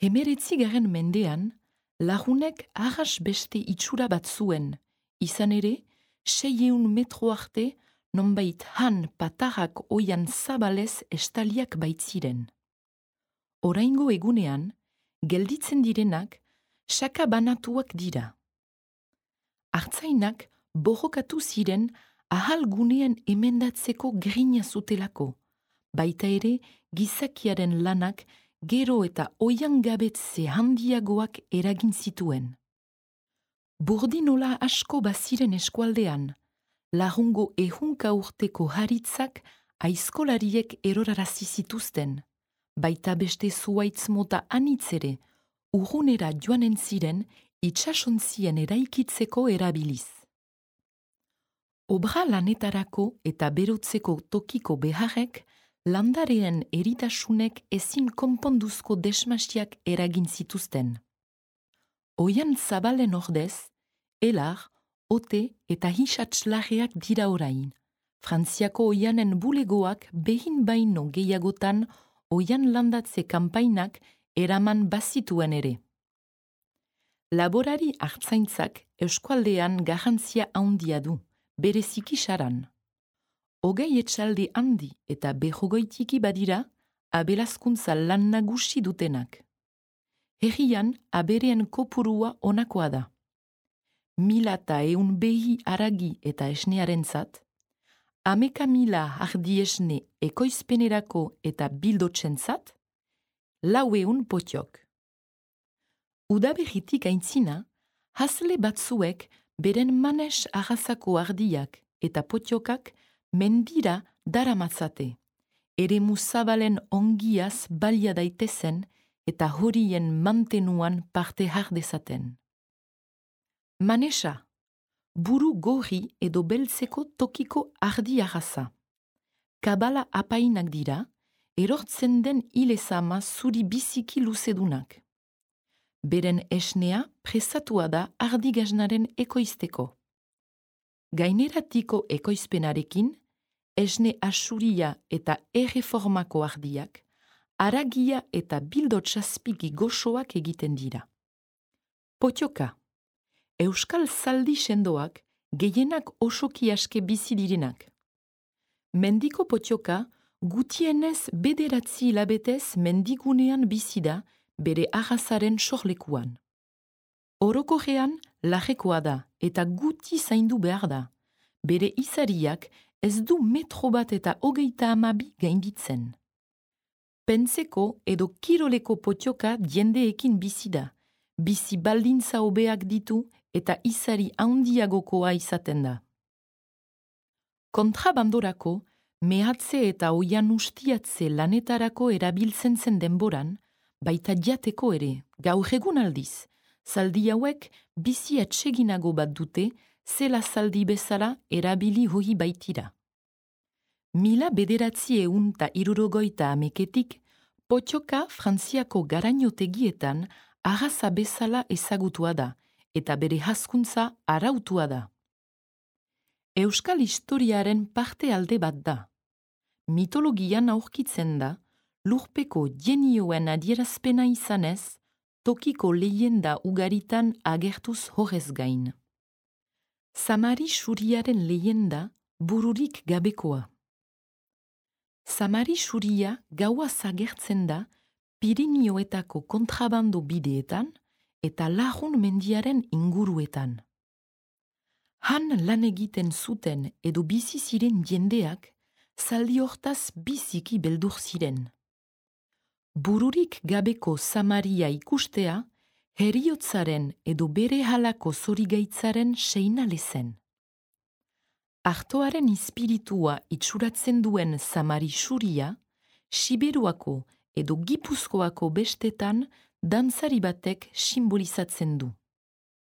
19. mendean, lagunek arras beste itxura bat zuen, izan ere, 600 metro arte, nonbait han patarrak oian zabalez estaliak baitziren. Oraingo egunean, gelditzen direnak, saka banatuak dira. Artzainak borrokatu ziren ahal gunean emendatzeko grina zutelako, baita ere gizakiaren lanak gero eta oian gabetze handiagoak eragin zituen. Burdinola asko baziren eskualdean, lagungo ehunka urteko haritzak aizkolariek erorarazi zituzten, baita beste zuaitz mota anitzere urrunera joanen ziren itsasontzien eraikitzeko erabiliz. Obra lanetarako eta berotzeko tokiko beharrek landareen eritasunek ezin konponduzko desmasiak eragin zituzten. Oian zabalen ordez, elar, ote eta hisatzlarreak dira orain. Frantziako oianen bulegoak behin baino gehiagotan oian landatze kanpainak eraman bazituen ere. Laborari artzaintzak eskualdean garrantzia handia du, bereziki saran. Hogei etxalde handi eta berrogeitiki badira, abelazkuntza lan nagusi dutenak. Herrian abereen kopurua onakoa da. 1100 behi aragi eta esnearentzat, 11.000 ardi esne ekoizpenerako eta bildotzentzat, 400 potiok. Udaberritik aintzina, hasle batzuek beren manes arrazako ardiak eta potiokak mendira daramatzate, eremu zabalen ongiaz balia daitezen eta horien mantenuan parte hardezaten. Manesa, buru gorri edo beltzeko tokiko ardi arraza. Kabala apainak dira, erortzen den ilezama zuri biziki luzedunak. Beren esnea presatua da ardigaznaren ekoizteko. Gaineratiko ekoizpenarekin, esne asuria eta erreformako ardiak, aragia eta bildotxazpiki goxoak egiten dira. Potioka. Euskal zaldi sendoak gehienak osoki aske bizi direnak. Mendiko potioka gutienez 9 hilabetez mendigunean bizi da bere arrazaren sorlekuan. Orokorrean larrekoa da eta guti zaindu behar da. Bere izariak ez du metro bat eta 32 gainditzen. Pentseko edo kiroleko potioka jendeekin bizi da. Bizi baldintza hobeak ditu eta izari handiagokoa izaten da. Kontrabandorako, mehatze eta oian ustiatze lanetarako erabiltzen zen denboran, baita jateko ere, gaur egun aldiz, zaldi hauek bizi atseginago bat dute, zela zaldi bezala erabili hori baitira. 1960 potioka Frantziako garainotegietan arraza bezala ezagutua da, eta bere hazkuntza arautua da. Euskal historiaren parte alde bat da. Mitologian aurkitzen da, lurpeko jenioen adierazpena izanez, tokiko leyenda ugaritan agertuz horrez gain. Samari Xuriaren leyenda bururik gabekoa. Samari Xuria gaua agertzen da Pirinioetako kontrabando bideetan eta Lagun mendiaren inguruetan. Han lan egiten zuten edo bizi ziren jendeak zaldi hortaz biziki beldur ziren. Bururik gabeko Samaria ikustea heriotzaren edo bere halako zorigaitzaren seinale zen. Artoaren ispiritua itxuratzen duen Samari Xuria, Siberuako edo Gipuzkoako bestetan dantzari batek simbolizatzen du.